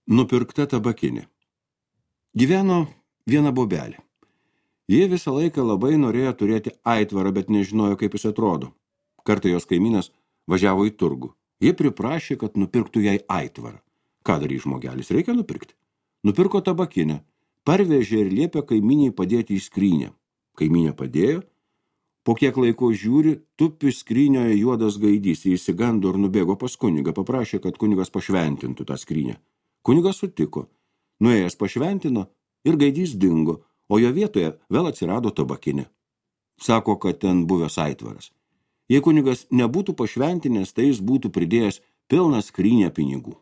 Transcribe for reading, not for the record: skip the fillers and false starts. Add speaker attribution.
Speaker 1: Nupirkta tabakinė. Gyveno viena bobelė. Jie visą laiką labai norėjo turėti aitvarą, bet nežinojo, kaip jis atrodo. Kartą jos kaimynas važiavo į turgų. Jie priprašė, kad nupirktų jai aitvarą. Ką darys žmogelis? Reikia nupirkti. Nupirko tabakinę. Parvežė ir liepė kaimynei padėti į skrynę. Kaimynė padėjo. Po kiek laiko žiūri, tupi skrynioje juodas gaidys. Jis įsigando ir nubėgo pas kunigą. Paprašė, kad kunigas pašventintų tą skrynę. Kunigas sutiko. Nuėjęs pašventino ir gaidys dingo, o jo vietoje vėl atsirado tabakinė. Sako, kad ten buvęs aitvaras. Jei kunigas nebūtų pašventinęs, tai jis būtų pridėjęs pilną skrynę pinigų.